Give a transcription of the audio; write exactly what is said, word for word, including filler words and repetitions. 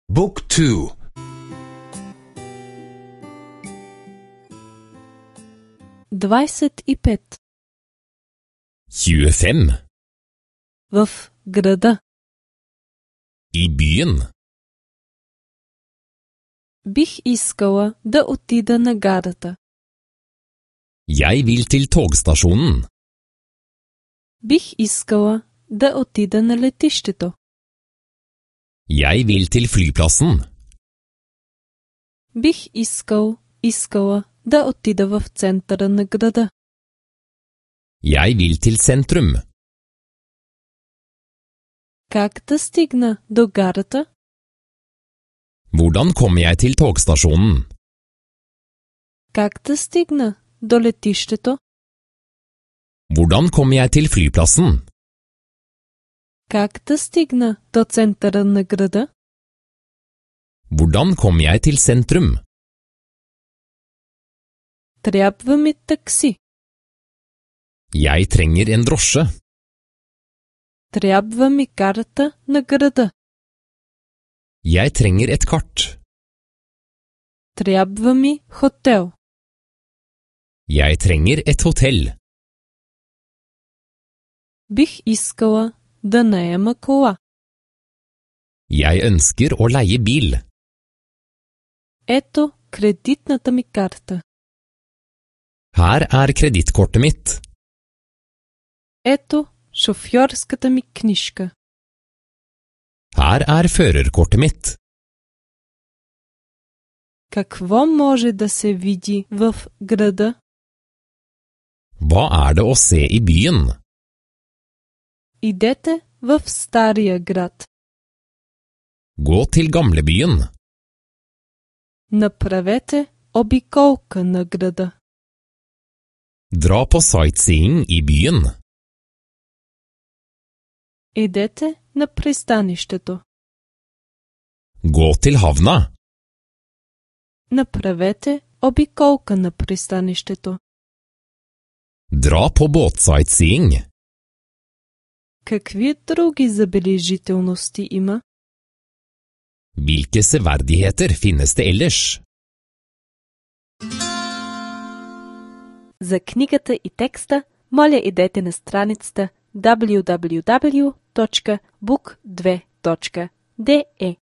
Book two. двадесет и пет. tjuefem. В града. I byen. Бих искала да отида на гарата. Jeg vil til togstasjonen. Бих искала да отида на летището. Jeg vil til flyplassen. Бих искал, искала да отида в центъра на града. Jeg vil til sentrum. Как да стигна до гарата? Hvordan kommer jeg til togstasjonen? Как да стигна до летището? Hvordan kommer jeg til flyplassen? Как да стигна до центъра на града? Hvordan kommer jeg til sentrum? Трябва ми такси. Jeg trenger en drosje. Трябва ми карта на града. Jeg trenger et kart. Трябва ми хотел. Jeg trenger et hotell. Бих искала да наема кола. Jeg ønsker å leie bil. Ето кредитната ми карта. Her er kredittkortet mitt. Ето шофьорската ми книжка. Her er førerkortet mitt. Какво може да се види в града? Hva er det å se i byen? Идете в стария град. Gå til gamlebyen. Направете обиколка на града. Dra på sightseeing i byen. Идете на пристанището. Gå til havna. Направете обиколка на пристанището. Dra på båtsightseeing. Какви други забележителности има? Hvilke severdigheter finnes det ellers? За книгата и текста, моля идете на страницата дабъл ю дабъл ю дабъл ю точка бук две точка де е.